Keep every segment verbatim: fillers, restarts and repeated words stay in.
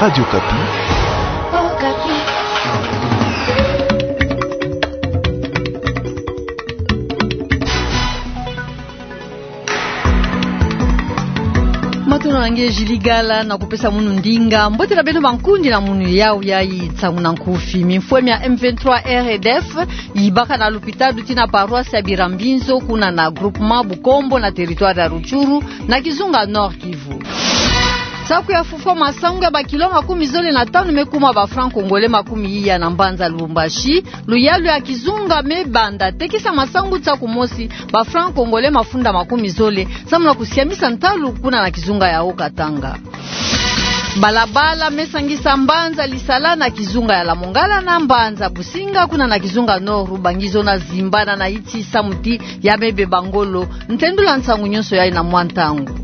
Radio Okapi. Matondo na nge Julie Gala, na kupesa munu ndinga. Mbote na beno bankundi na munu yawu yayi. Nsangu na nkufi. Mimfwe mia M vingt-trois R D F yibaka na lupitalu tii na paroisse ya Birambinzo, kuna na groupement Bukombo, na territoire ya Rutshuru, na kizunga Nord-Kivu. Saku ya fufwa masangu ya bakilo makumi zole na tanu me kuma ba francs congolais makumi iya na mbanza Lubumbashi. Luyalu ya kizunga me banda tekisa masangu saku mosi, ba francs congolais mafunda makumi zole, samu na kusiamisa ntalu kuna na kizunga ya Haut-Katanga. Balabala me sangisa mbanza Lisala na kizunga ya Lamongala na mbanza Businga, kuna na kizunga Nord-Ubangi, zona zimbana na iti samu ti ya me beba ngolo. Ntendula nsangu nyonso yayi na mwa ntangu.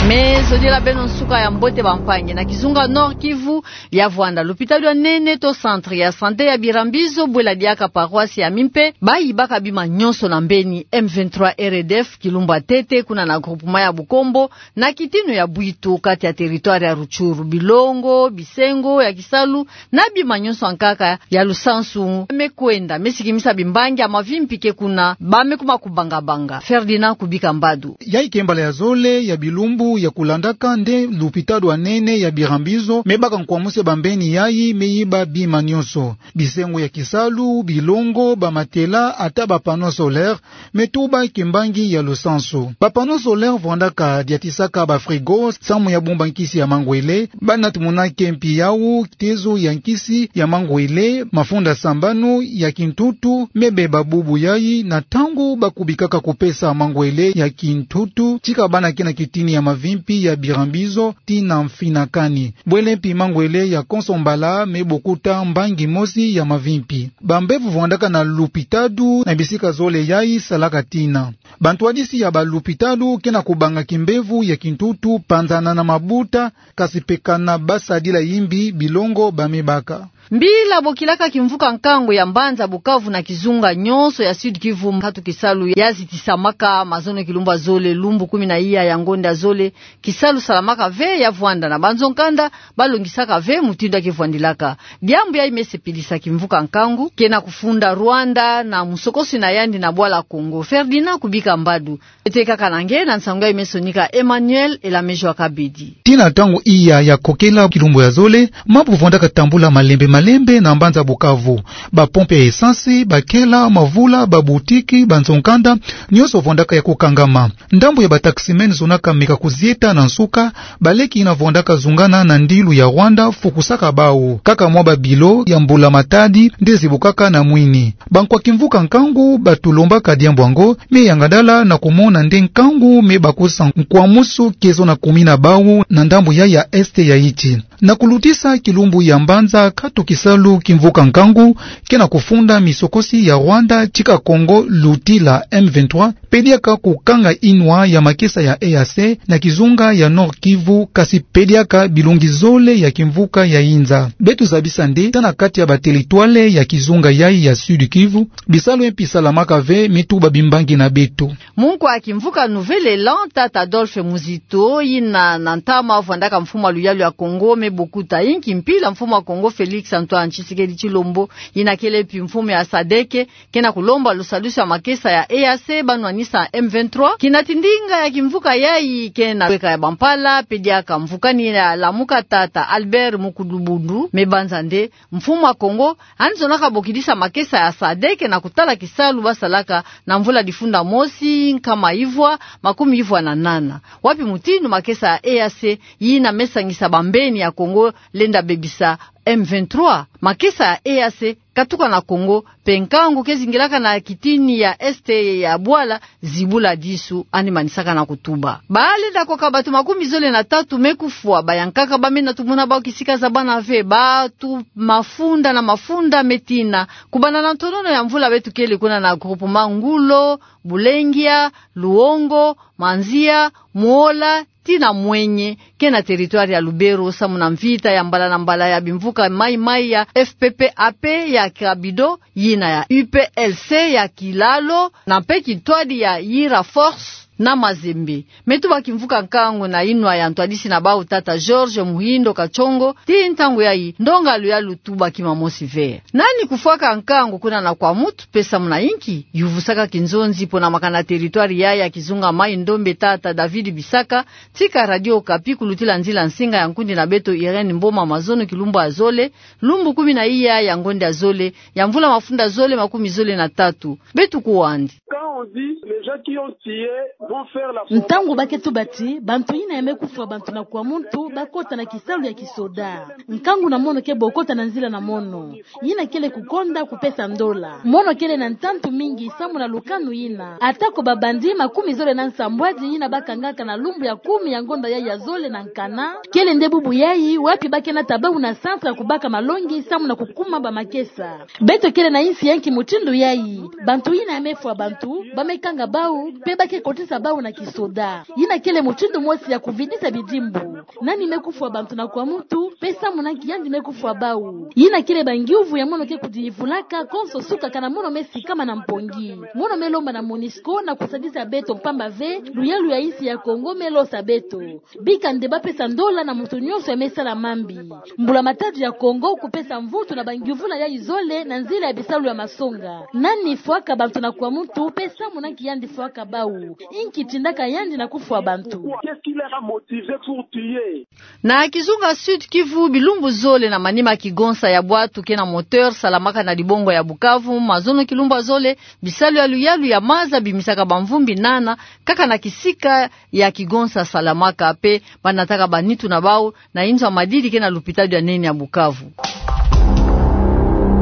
Me zodila beno nsuka ya mbote bampangi. Na kizunga Nord-Kivu ya vwanda, lupitalu ya nene to centre ya santé ya Birambinzo, bwela diaka paroisse ya Mimpe, bayibaka bima nyonso na mbeni. M vingt-trois R D F kilumbu ya ntete, kuna na groupement ya Bukombo, na kitinu ya Bwitu, kati ya territoire ya Rutshuru, bilongo, bisengo ya kisalu, na bima nyonso ya nkaka ya lusansu me kwenda, me sikimisa bimbangi ya mavimpi ke kuna, ba me kuma kubangabanga. Ferdinand Kubika Mbadu. Yayi ke mbala ya zole ya bilumbu ya kulandaka nde lupitalu ya nene ya Birambinzo me baka nkwamusi ya bambeni yayi me yiba bima nyonso. Bisengo ya kisalu, bilongo, ba matelas, ata ba panneaux solaires, me tuba kimbangi ya lusansu. Ba panneaux solaires vwandaka diatisaka ba frigos samu ya bumba nkisi ya mangwele, ba nat muna ke mpi yawu, tezo ya nkisi ya mangwele, mafunda sambanu ya kintutu, me beba bubu yayi na ntangu ba kubikaka kupesa mangwele ya kintutu, tika bana ke na kitini ya mavimpi ya Birambinzo tii na Mfinakani. Bwele mpi mangwele ya konso mbala me bokuta mbangi mosi ya mavimpi. Bambevo vwandaka na lupitalu na bisika zole yayi salaka tina. Bantwadisi ya balupitalu ke na kubanga kimbevo ya kintutu, panzana na mabuta, kasi mpe kana ba sadila yimbi bilongo ba me baka. Mbila bokilaka kimvuka nkangu ya mbanza Bukavu na kizunga nyonso ya Sud-Kivu, nkatu kisalu ya zitisamaka mazono kilumbu ya zole, lumbu kumi na iya ya ngonda ya zole, kisalu salamaka ve ya vwanda na banzo-nkanda, ba longisaka ve mutindu ya ke vwandilaka. Diambu yayi me sepelisa kimvuka nkangu ke na kufunda Rwanda na musokosi na yandi na bwala Congo. Ferdinand Kubika Mbadu. Ete kaka na nge na nsangu yayi me sonika Emmanuel Elamejo Akabedi. Tii na ntangu iya ya kokela kilumbu ya zole, mambu vwandaka tambula malembe malembe na mbanza Bukavu. Ba pompe ya essence, ba kela, mavula, ba boutique, banzo-nkanda, nyonso vwandaka ya kukangama. Ndambu ya ba taximens zonaka meka kuzieta na nsuka, baleki yina vwandaka zungana na ndilu ya Rwanda fukusaka bawu. Kaka mwa ba bilo ya mbula-matadi nde zibukaka na mwini. Bankwa kimvuka nkangu ba tulombaka diambu yango, me yangadala na kumona nde nkangu me bakusa nkwamusu ke zo na kumina bawu na ndambu yayi ya est ya insi. Na kulutisa kilumbu ya mbanza, nkatu kisalu kimvuka nkangu ke na kufunda misokosi ya Rwanda, tika Congo luti la M vingt-trois, pediaka kukanga inwa ya makesa ya E A C na kizunga ya Nord-Kivu, kasi pediaka bilongi zole ya kimvuka ya inza. Beto zabisa nde ata na kati ya ba territoire ya kizunga yayi ya Sud-Kivu, bisalu mpi salamaka ve, me tuba bimbangi na beto. Munkwa kimvuka Nouvel Elan, tata Adolphe Muzito, yina na ntama vwandaka mfumu ya luyalu ya Congo, me bokuta inki mpila mfumu ya Congo Félix Antoine Tshisekedi Tshilombo, yina kele mpi mfumu ya sadeke, ke na kulomba lusadusu ya makesa ya E A C ba nwanisa M vingt-trois. Kinati ndinga ya kimvuka yayi ke na kweka ya bampala, pediaka mvukani ya Lamuka, tata Albert Mukudubundu, me banza nde mfumu ya Congo yandi zonaka bokidisa makesa ya sadeke na kutala kisalu ba salaka na mvula difunda mosi, nkama ivwa, makumi ivwa na nana. Wapi mutindu makesa ya E A C yina me sangisa bambeni ya Congo lenda bebisa M vingt-trois? Makesa ya E A C katuka na Congo, mpe nkangu ke zingilaka na kitini ya est ya bwala, zibula disu, yandi manisaka na kutuba. Ba lenda koka bato makumi zole na tatu me kufwa, bayankaka ba mena tumona bawu kisika zabana ve, bato mafunda na mafunda me tina. Kubanda na ntonono ya mvula beto kele kuna na groupement Ngulo, Bulengia, Luongo, Manzia, Muola, tii na Mwenye, ke na territoire ya Lubero, samu na mvita ya mbala na mbala ya bimvuka Mai Mai ya F P P A P ya Kabido, yina ya U P L C ya Kilalo, na mpe kintwadi ya Yira Force, na Mazembe. Me tubaki mvuka nkangu na inwa ya ntwadisi na bau tata George Muhindo Katshongo, tii ntangu yayi ndonga ya luyalu tubaki mamosi ve. Nani kufwaka nkangu kuna na Kwamouth, pe samu na inki? Yuvusaka kinzonzi pona makana territoire yayi ya kizunga Maï-Ndombe tata David Bisaka, tika Radio Okapi kulutila nzila nsinga ya nkundi na beto Irène Mboma Mazono kilumbu ya zole, lumbu kumi na iya ya ngonda ya zole, ya mvula mafunda zole makumi zole na tatu. Beto kuwa yandi. Quand on dit les gens qui ont tué vont faire la formation. Ntangu ba ke tuba ti bantu yina ya me kufwa bantu na Kwamouth bakota na kisalu ya kisoda, nkangu na mono ke bo kota na nzila na mono. Yina kele kukonda kupesa ndola. Mono kele na ntantu mingi samu na lukanu yina. Atako ba bandits makumi zole na nsambwadi yina bakangaka na lumbu ya kumi ya ngonda yayi ya zole na nkana, kele nde bubu yayi wapi ba ke nata bau na centre ya kubaka malongi samu na kukuma bamakesa. Beto kele na insi ya nki mutindu yayi? Bantu yina ya me fwa bantu, ba me kanga bau, pe ba ke kotisa bau na kisoda. Yina kele mutindu mosi ya kuvidisa bidimbu. Nani me kufwa bantu na Kwamouth, pe samu na nki yandi me kufwa bau? Yina kele ba ngiuvu ya mono ke kudiyivulaka konso suka kana mono me sikama na mpongi. Mono me lomba na MONUSCO na kusadisa beto, mpamba ve luyalu ya insi ya Kongo me losa beto. Bika nde ba pesa ndola na muntu nyonso ya me sala mambi. Mbula-matadi ya Kongo kupesa mvutu na ba ngiuvula yayi zole na nzila ya bisalu ya masonga. Nani fwaka bantu na Kwamouth, pe samu na nki yandi fwaka bau? Inki tindaka yandi na kufwa bantu? Qu'est-ce qui les a motivés pour tuer? Na kizunga Sud-Kivu, bilumbu zole na manima kigonsa ya bwatu ke na moteur salamaka na dibongo ya Bukavu, mazono kilumbu ya zole, bisalu ya luyalu ya maza bimisaka bamvumbi nana kaka na kisika ya kigonsa salamaka, pe ba nataka banitu na bau na inzo ya madidi ke na lupitalu ya nene ya Bukavu.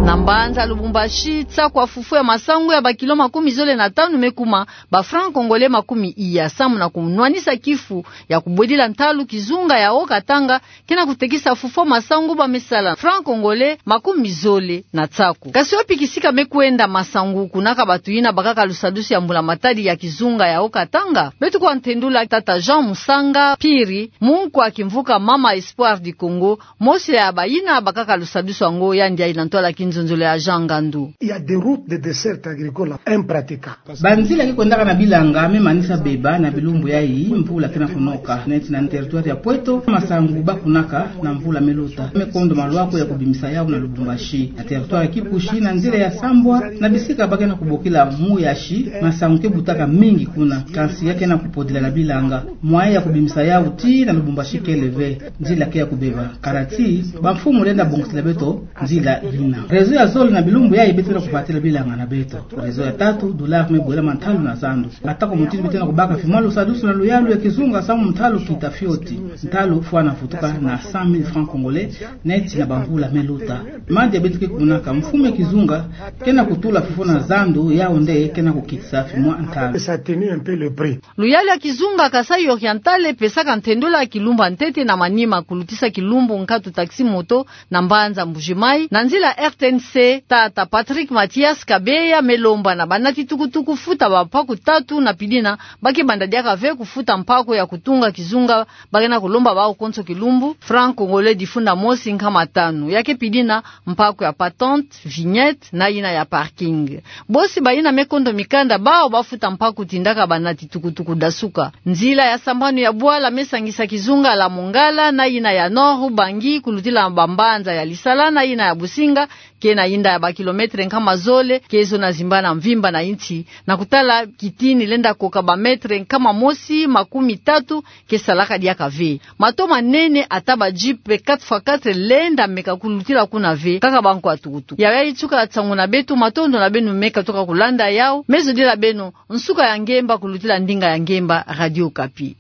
Na mbanza Lubumbashi, tsa kwa fufu ya masangu ya ba kilo makumi zole na tanu me kuma, ba francs congolais makumi iya, samu na kunwanisa kifu ya kubwedila ntalu kizunga ya Haut-Katanga ke na kutekisa fufu ya masangu ba me sala francs congolais makumi zole na tsaku. Kasi wapi kisika me kwenda masangu kuna ka batu yina bakaka lusadusu ya mbula-matadi ya kizunga ya Haut-Katanga? Beto kuwa ntendula tata Jean Musanga Piri, munkwa kimvuka Mama Espoir du Congo, mosi ya bayina bakaka lusadusu yango, yandi yayi na ntwala kinzonzolo ya Jean Ngandu. Il y a des routes de desserte agricole impraticables. Banzila ke kwendaka na bilanga me manisa beba na bilumbu yayi mvula ke na kunoka. Neti na territoire ya Pweto, masangu ba kunaka na mvula me luta me kondo malwaku ya kubimisa yau na Lubumbashi. Na territoire ya Kipushi, na nzila ya Sambwa, na bisika ba ke na kubokila Muyashi, masangu ke butaka mingi kuna, kansi ya ke na kupodila na bilanga. Moyen ya kubimisa yau tii na Lubumbashi kele ve, nzila ke ya kubeba. Kala ti bamfumu lenda bongisila beto nzila yina. Réseau ya zole na bilumbu yayi beto lenda kubatila bilanga na beto. Réseau ya tatu, dollars me bwela mantalu na zandu. Atako mutindu beto lenda kubaka fimwa lusadusu na luyalu ya kizunga samu ntalu kita fioti. Ntalu fwana vutuka na cent mille francs congolais, neti na bamvula me luta. Madi ya beto ke kunaka, mfumu ya kizunga ke na kutula fufu na zandu, yau nde ke na kukitisa fimwa ntalu. Ça a tenu un peu le prix. Luyalu ya kizunga Kasaï Oriental pesaka ntendula kilumbu ya ntete na manima kulutisa kilumbu nkatu taxi-moto na mbanza Mbuji-Mayi, na nzila R T N C, tata Patrick Mathias Kabeya me lomba na banati tukutuku futa bampaku tatu na pidina, ba ke banda diaka ve kufuta mpaku ya kutunga kizunga, ba ke na kulomba bau konso kilumbu francs congolais difunda mosi nkama tanu. Ya ke pidina mpaku ya patente, vignette, na yina ya parking. Bosi bayina me kondo mikanda, bau ba futa mpaku tindaka banati tukutuku dasuka. Nzila ya sambanu ya bwala me sangisa kizunga la Mongala na yina ya Nord-Ubangi, kulutila bambanza ya Lisala na yina ya Businga, ke na yinda ya ba kilomètre nkama zole, ke zo na zimbana mvimba na insi, na kutala kitini lenda koka ba mètre nkama mosi makumi tatu, ke salaka diaka ve. Mato manene ata ba jeep pe quatre fois quatre lenda meka kulutila kuna ve, kaka ba nkwa tukutuku. Yayi yatuka nsangu na beto, matondo na beno meka tuka kulanda yau, me zodila beno nsuka ya ngemba kulutila ndinga ya ngemba Radio Okapi.